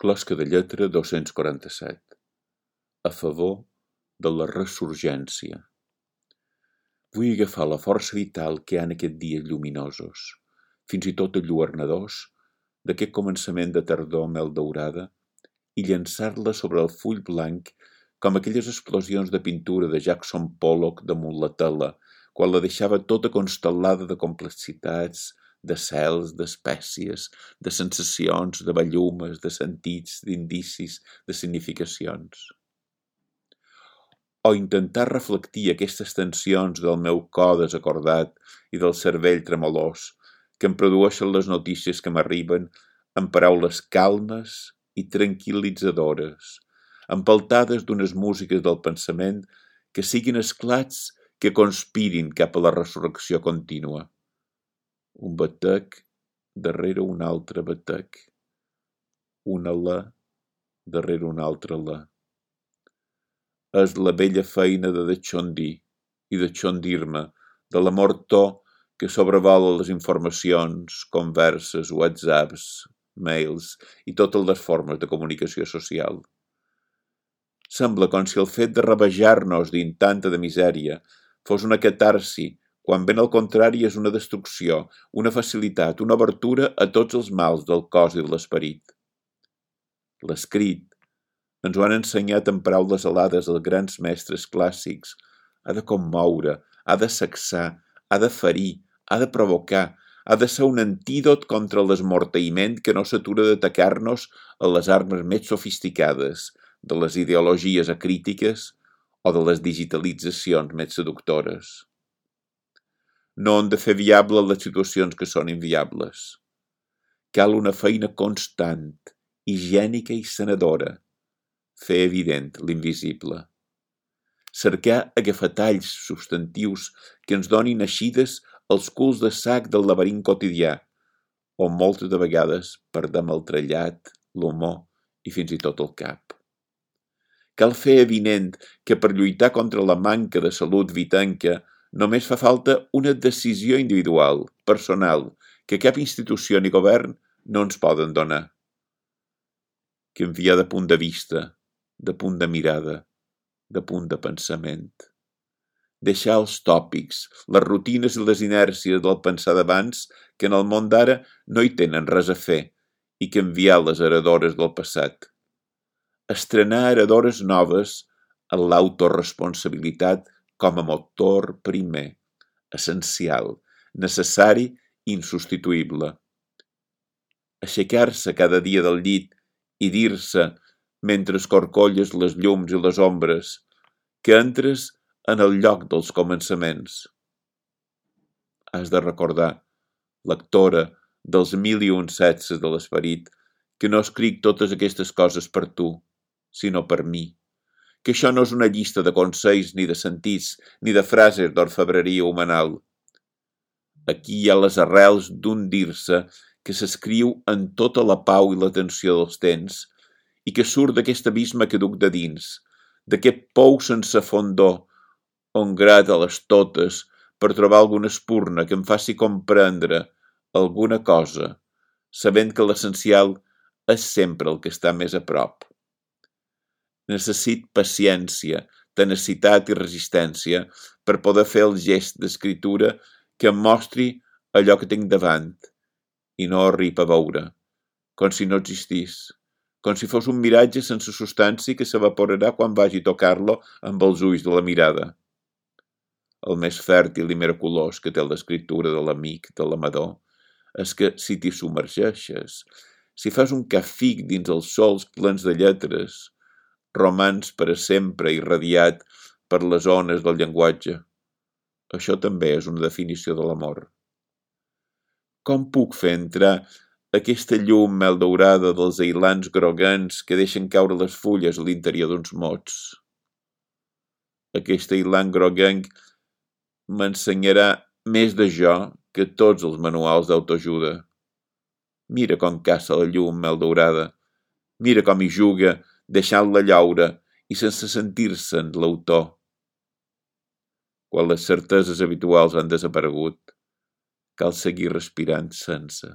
Closca de lletra 247. A favor de la ressurgència. Vull agafar la força vital que hi ha en aquests dies lluminosos, fins i tot enlluernadors, d'aquest començament de tardor mel daurada, i llançar-la sobre el full blanc com aquelles explosions de pintura de Jackson Pollock damunt la tela, quan la deixava tota constel·lada de complexitats, de cels, d'espècies, de sensacions, de bellumes, de sentits, d'indicis, de significacions. O intentar reflectir aquestes tensions del meu cor desacordat i del cervell tremolós que em produeixen les notícies que m'arriben amb paraules calmes i tranquil·litzadores, empeltades d'unes músiques del pensament que siguin esclats que conspirin cap a la resurrecció contínua. Un batec darrere un altre batec, una la darrere una altra la. És la vella feina de deixondir i de xondir-me, de l'amor to que sobrevola les informacions, converses, whatsapps, mails i totes les formes de comunicació social. Sembla com si el fet de rabejar-nos dins tanta de misèria fos una catarsi, quan ben al contrari és una destrucció, una facilitat, una obertura a tots els mals del cos i de l'esperit. L'escrit, ens ho han ensenyat en paraules alades els grans mestres clàssics, ha de commoure, ha de sacsar, ha de ferir, ha de provocar, ha de ser un antídot contra l'esmorteïment que no s'atura d'atacar-nos a les armes més sofisticades, de les ideologies acrítiques o de les digitalitzacions més seductores. No hem de fer viables les situacions que són inviables. Cal una feina constant, higiènica i sanadora, fer evident l'invisible. Cercar agafatalls substantius que ens donin eixides els culs de sac del laberint quotidià, on moltes de vegades perdem el trellat, l'humor i fins i tot el cap. Cal fer evident que per lluitar contra la manca de salut vitanca només fa falta una decisió individual, personal, que cap institució ni govern no ens poden donar. Canviar de punt de vista, de punt de mirada, de punt de pensament. Deixar els tòpics, les rutines i les inèrcies del pensar d'abans que en el món d'ara no hi tenen res a fer i canviar les heredores del passat. Estrenar heredores noves en l'autoresponsabilitat com a motor primer, essencial, necessari i insubstituïble. Aixecar-se cada dia del llit i dir-se, mentre escorcolles les llums i les ombres, que entres en el lloc dels començaments. Has de recordar, lectora dels 1001 setces de l'esperit, que no escric totes aquestes coses per tu, sinó per mi, que això no és una llista de consells ni de sentits, ni de frases d'orfebreria humanal. Aquí hi ha les arrels d'un dir-se que s'escriu en tota la pau i l'atenció dels temps i que surt d'aquest abisme que duc de dins, d'aquest pou sense fondor, on grata les totes per trobar alguna espurna que em faci comprendre alguna cosa, sabent que l'essencial és sempre el que està més a prop. Necessit paciència, tenacitat i resistència per poder fer el gest d'escriptura que em mostri allò que tinc davant i no arriba a veure, com si no existís, com si fos un miratge sense substància que s'evaporarà quan vagi a tocar-lo amb els ulls de la mirada. El més fèrtil i miraculós que té l'escriptura de l'amic, de l'amador, és que si t'hi submergeixes, si fas un càfic dins els sols plens de lletres, romans per a sempre irradiat per les ones del llenguatge. Això també és una definició de l'amor. Com puc fer entrar aquesta llum mel daurada dels ailans groguents que deixen caure les fulles a l'interior d'uns mots? Aquest ailant groguenc m'ensenyarà més de jo que tots els manuals d'autoajuda. Mira com caça la llum mel daurada. Mira com hi juga, deixant-la llaure i sense sentir-se'n l'autor. Quan les certeses habituals han desaparegut, cal seguir respirant sense.